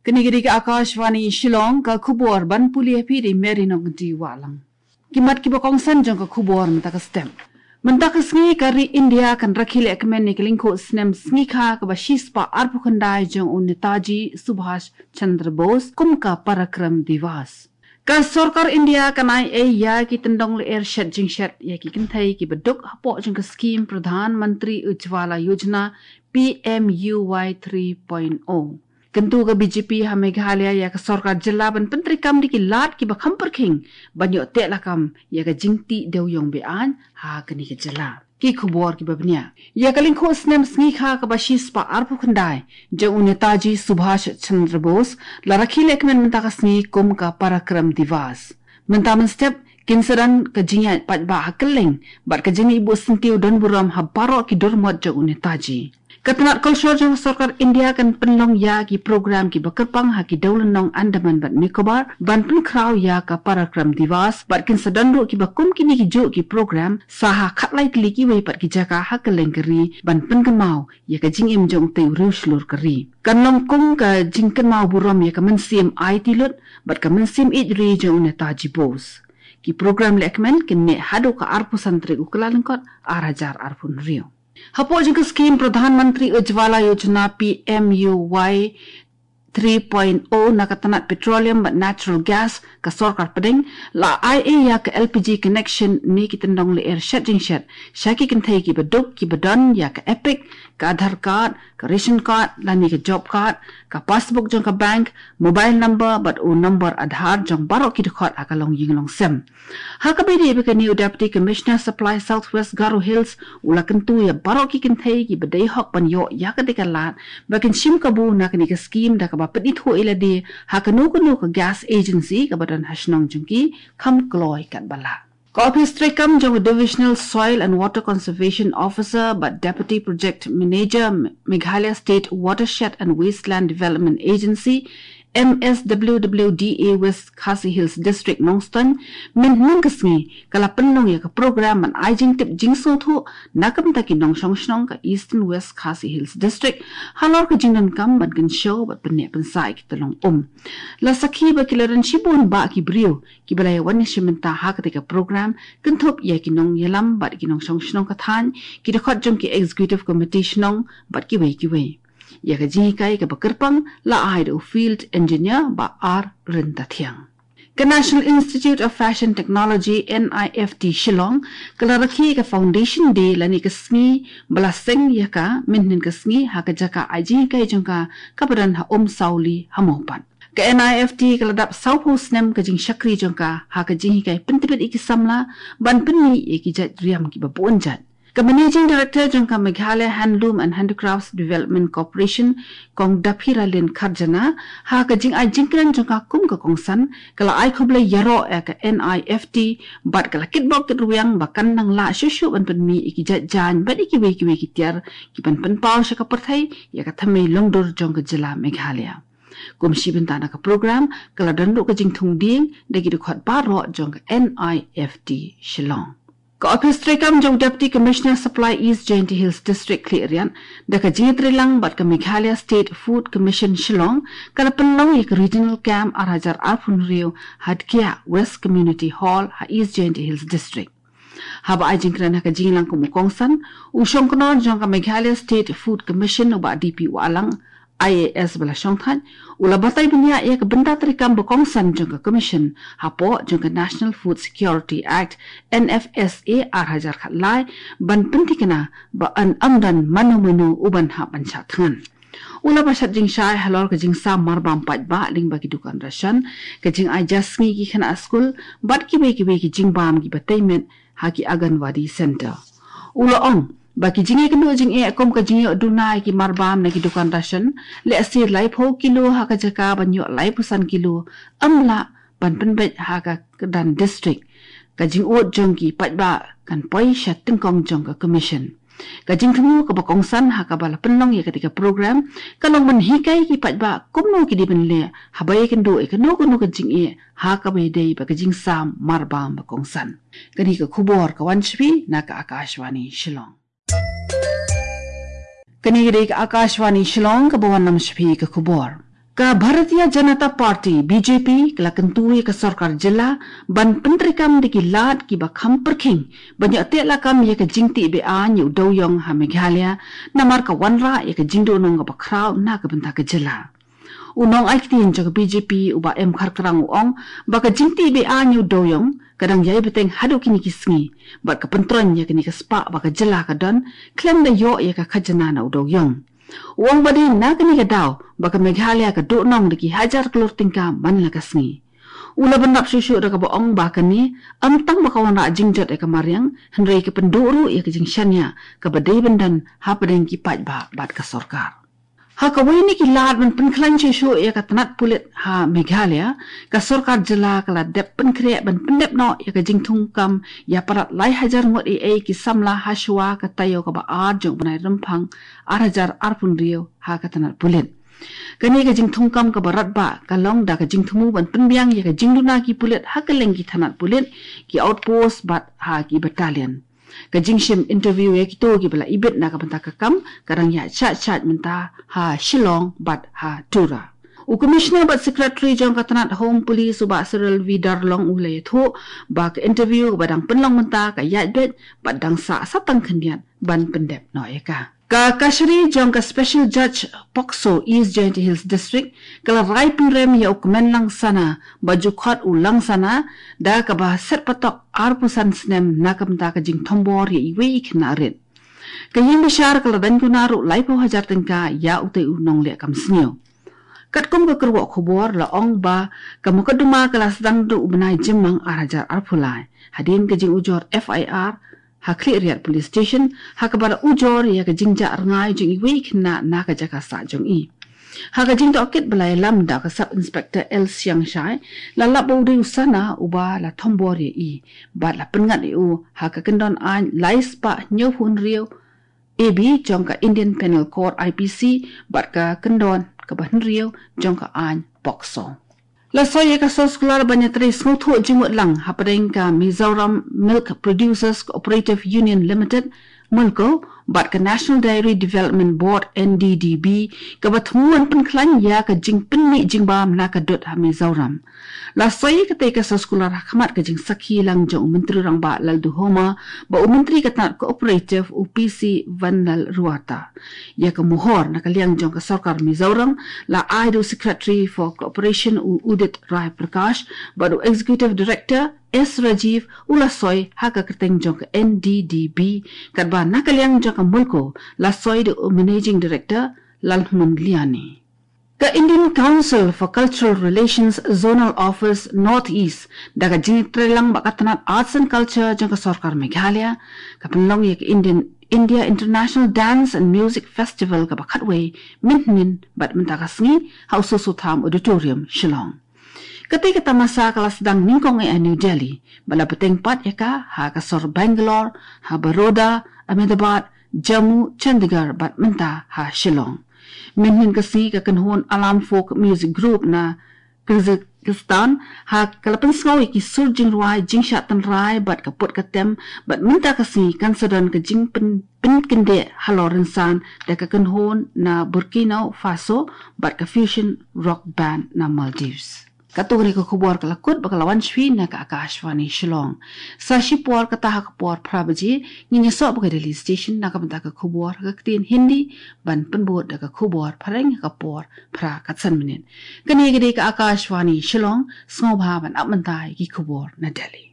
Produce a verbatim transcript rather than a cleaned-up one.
Kane ka dei ka Akashvani Shillong, ka khubor ban pule ïa phi da i Mary Nongkynrih Wahlang. Ki mat kiba kongsan jong ka khubor mynta ka step. Mynta ka sngi ka ri India kan rakhe lehkmen ïa ka lyngkhuh snem sngikha kaba shispah arphew khyndai jong u Netaji Subhash Chandra Bose kum ka Parakram Diwas. Ka sorkar India kan ai ei ïa ki tyndong lyer shet jingshet ïa ki kynthei kiba duk hapoh jong ka skhim Pradhan Mantri Ujjwala Yojana, P M U Y three point oh. Kyntu ka B J P ha Meghalaya ïa ka sorkar jylla ban pyntreikam da ki lad kiba kham pyrkhing ban ïoh teh lakam ïa ka jingtih dewïong be-aiñ ha kane ka jylla. Ki khubor kiba bniah. Ïa ka lyngkhuh snem sngikha kaba shispah arphew khyndai jong u Netaji Subhash Chandra Bose la rakhe lehkmen mynta ka sngi kum ka Parakram Diwas. Mynta mynstep kin sa don ka jingïaid paidbah ha kylleng bad ka jingïaid buh syntiew don burom ha baroh ki dur mot jong u Netaji. Ka tnat kolshor jong ka sorkar India kan pynlong ïa ki program kiba kyrpang ha ki dewlynnong Andaman bad Nicobar ban pynkhraw ïa ka Parakram Diwas bad kin sa don ruh kiba kum kine kijuh ki program sa ha khatlai tylli kiwei pat ki jaka ha kylleng ka ri ban pynkynmaw ïa ka jingim jong utei u riewshlur ka ri. Kan long kum ka jingkynmaw burom ïa ka mynsiem aiti lut bad ka mynsiem ïeit ri jong u Netaji Bose. Ki program lehkmen kin neh haduh ka arphew san tarik u Kyllalyngkot ar hajar arphew hynriew. Hapoh jong ka skhim Pradhan Mantri Ujjwala Yojana, P M U Y three point oh, na ka tnat petroleum bad natural gas ka sorkar pdeng la ai ei ïa ka L P G connection ne ki tyndong lyer shet jingshet sha ki kynthei kiba duk kiba don ïa ka EPIC, ka Aadhaar card, ka ration card lane ka job card, ka passbook jong ka bank, mobile number bad u number Aadhaar jong baroh ki dkhot ha ka longïing longsem. Ha kaba ïadei bad kane, u Deputy Commissioner Supply South West Garo Hills u la kyntu ïa baroh ki kynthei kiba dei hok ban ïoh ïa katei ka lad ba kin shim kabu na kane ka skhim da kaba pynithuh ïa lade ha kano kano ka gas agency kaba don ha shnong jong ki, kham kloi katba lah. Ka ophis treikam jong u Divisional Soil and Water Conservation Officer bad Deputy Project Manager, Meghalaya State Watershed and Wasteland Development Agency, M S W W D A, West Khasi Hills District, Nongstoiñ, mynhynnin ka sngi ka la pynlong ïa ka program ban ai jingtip jingsngewthuh na ka bynta ki nongshong shnong ka Eastern West Khasi Hills District halor ka jingdonkam ban kynshew bad pynneh pynsah ïa ki tyllong um. La sakhi ba ki la don shibun bah ki briew kiba la ïa wan ïashim bynta ha katei ka program, kynthup ïa ki nongïalam bad ki nongshong shnong ka thaiñ, ki dkhot jong ki Executive Committee shnong bad kiwei kiwei. Ïa ka jinghikai kaba kyrpang la ai da u Field Engineer Bah R Ryntathiang. Ka National Institute of Fashion Technology, N I F T, Shillong ka la rakhe ka Foundation Day lane ka sngi ba la seng ïa ka mynhynnin ka sngi ha ka jaka ai jinghikai jong ka kaba don ha Umsawli ha Mawpat. Ka N I F T ka la dap sawphew snem ka jingshakri jong ka ha ka jinghikai pyntbit ïa ki samla ban pynmih ïa ki jait riam kiba bun jait. Ka Managing Director jong ka Meghalaya Handloom and Handicrafts Development Corporation, Kong Daphiralin Kharjana, ha ka jingai jingkren jong ka kum ka kongsan, ka la ai khublei ïaroh ïa ka N I F T bad ka la kitbok kitrwiang ba kan nang lah shuh shuh ban pynmih ïa ki jait jaiñ bad ïa kiwei kiwei ki tiar kiban pynpaw sha ka pyrthei ïa ka thymmei longdur jong ka jylla Meghalaya. Kum shi bynta na ka program ka la don ruh ka jingthung dieng da ki dkhot baroh jong ka N I F T Shillong. Ka ophis treikam jong u Deputy Commissioner Supply East Jaintia Hills District, Khliehriat, da ka jingïatreilang bad ka Meghalaya State Food Commission Shillong, ka la pynlong ïa ka Regional Camp ar hajar arphew hynriew ha Dkhiah West Community Hall ha East Jaintia Hills District. Haba ai jingkren ha ka jingïalang kum u kongsan, u shongknor jong ka Meghalaya State Food Commission, u Bah D P Wahlang, I A S ba la shongthait, u la batai bniah ïa ka bynta treikam ba kongsan jong ka Commission hapoh jong ka National Food Security Act, N F S A, ar hajar khatlai, ban pynthikna ba yn ym don mano mano uban hap ban shah thngan. U la ba shat jingshai halor ka jingsam marbam paidbah lyngba ki dukan ration, ka jingai ja sngi ki khynnah skul bad kiwei kiwei ki jingbam kiba tei met ha ki Anganwadi Centre. U la ong ba ki jingïakynduh jingeh kum ka jingïoh duna ïa ki marbam na ki dukan ration, lehse laiphew kilo ha ka jaka ban ïoh laiphew san kilo, ym lah ban pynbeit ha ka kyrdan district. Ka jingud jong ki paidbah kan poi sha tyngkong jong ka Commission. Ka jingthmu kaba kongsan ha kaba la pynlong ïa katei ka program ka long ban hikai ki paidbah kumno ki dei ban leh haba ïakynduh ïa kano kano ka jingeh ha kaba ïadei bad ka jingsam marbam ba kongsan. Kane ka khubor ka wan sha phi na ka Akashvani Shillong. Kane ka dei ka Akashvani Shillong kaba wanlam sha phi ka khubor. Ka Bharatiya Janata Party, B J P, ka la kyntu ïa ka sorkar jylla ban pyntreikam da ki lad kiba kham pyrkhing ban ïoh teh lakam ïa ka jingtih be-aiñ ïa u dewïong ha Meghalaya, namar ka wanrah ïa ka jingduhnong kaba khraw na ka bynta ka jylla. U nongai ktien jong ka B J P, u Bah M Kharkrang, u ong ba ka jingtih be-aiñ ïa u dewïong ka dang ïai bteng haduh kine ki sngi, bad ka pyntroiñ ïa kane ka spah ba ka jylla ka don khlem da ïoh ïa ka khajna na u dewïong. U ong ba dei na kane ka daw ba ka Meghalaya ka duhnong da ki hajar klur tyngka man la ka sngi. U la bynrap shuh shuh da kaba ong ba kane ym tang ba ka wanrah jingjot ïa ka mariang, hynrei ka pynduh ruh ïa ka jingshaniah kaba dei ban don hapdeng ki paidbah bad ka sorkar. Ha kawei na ki lad ban pynkhlaiñ shuh shuh ïa ka tnat pulit ha Meghalaya, ka sorkar jylla ka la dep pynkhreh ban pyndep noh ïa ka jingthungkam ïa palat lai hajar ngut ei ei ki samla ha shuwa ka taïew kaba ar jong u bnai Rymphang ar hajar arphew hynriew ha ka tnat pulit. Kane ka jingthungkam kaba radbah ka long da ka jingthmu ban pynbiang ïa ka jingduna ki pulit ha kylleng ki tnat pulit, ki outpost bad ha ki battalion. Ka jingshim interview ïa kito kiba la ibit na ka bynta ka kam ka dang ïa shah shah mynta ha Shillong bad ha Tura. U Commissioner bad Secretary jong ka tnat Home Police, u Bah Cyril V Darlong, u la ïathuh ba ka interview kaba dang pynlong mynta ka ïaid beit bad dang sah sa tang khyndiat ban pyndep noh ïa ka. Ka kashari jong ka Special Judge POCSO East Jaintia Hills District ka la rai pynrem ïa u kmen Langsana ba ju khot u Langsana da kaba set patok arphew san snem na ka bynta ka jingthombor ïa iwei i khynnah rit. Ka ïing bishar ka la daiñ kuna ruh laiphew hajar tyngka ïa utei u nongleh kam sniew. Katkum ka kyrwoh khubor la ong ba ka mukotduma ka la sdang da u bnai Jymmang ar hajar arphew lai hadien ka jingujor F I R ha Khliehriat Police Station ha kaba la ujor ïa ka jingjah rngai jong iwei i khynnah na ka jaka sah jong i. Ha ka jingtohkit ba la ïalam da ka Sub Inspector L Siangshai, la lap ba u dei u Sana uba la thombor ïa i bad la pynngat ïa u ha ka kyndon aiñ lai spah hynñiewphew hynriew A B jong ka Indian Penal Code, I P C, bad ka kyndon kaba hynriew jong ka aiñ POCSO. La soi ïa ka soskular ban ïatrei sngewthuh jingmut lang hapdeng ka Mizoram Milk Producers Cooperative Union Limited, MILCO, bad ka National Dairy Development Board, N D D B, kaba thmu ban pynkhlaiñ ïa ka jingpynmih jingbam na ka dud ha Mizoram. La soi ïa katei ka soskular ha khmat ka jingsakhi lang jong u Myntri Rangbah Lalduhoma bad u Myntri ka tnat Cooperative, u P C Vanlalruata. Ïa ka mohor na ka liang jong ka sorkar Mizoram la ai da u Secretary for Cooperation, u Udit Rai Prakash, bad u Executive Director S Rajiv u la soi ha ka kyrteng jong ka N D D B, katba na ka liang jong ka MILCO la soi da u Managing Director Lalhmun Liani. Ka Indian Council for Cultural Relations Zonal Office North East, da ka jingïatreilang bad ka tnat Arts and Culture jong ka sorkar Meghalaya, ka pynlong ïa ka Indian, India International Dance and Music Festival kaba khatwei, mynhynnin bad mynta ka sngi ha u Soso Tham Auditorium, Shillong. Katei ka tamasa ka la sdang nyngkong eh ha New Delhi bad la bteng pat ïa ka ha ka sor Bangalore, ha Baroda, Ahmedabad, Jammu, Chandigarh bad mynta ha Shillong. Mynhynnin ka sngi ka kynhun Alam Folk Music Group na Kyrgyzstan ha ka la pynsngew ïa ki sur jingrwai, jingshah tynrai bad ka put ka tem, bad mynta ka sngi kan sa don ka jingpyn, pynkyndit halor rynsan da ka kynhun na Burkina Faso bad ka fusion rock band na Maldives. Katto katne ka khubor ka la kut bad ka la wan sha phi na ka Akashvani Shillong. Sa shipor kata ha ka por phra baje ngin ïasoh bad ka Delhi Station na ka bynta ka khubor ha ka ktien Hindi, ban pynbud da ka khubor phareng ha ka por phra khatsan minit. Kane ka dei ka Akashvani Shillong, sngewbha ban ap mynta ïa ki khubor na Delhi.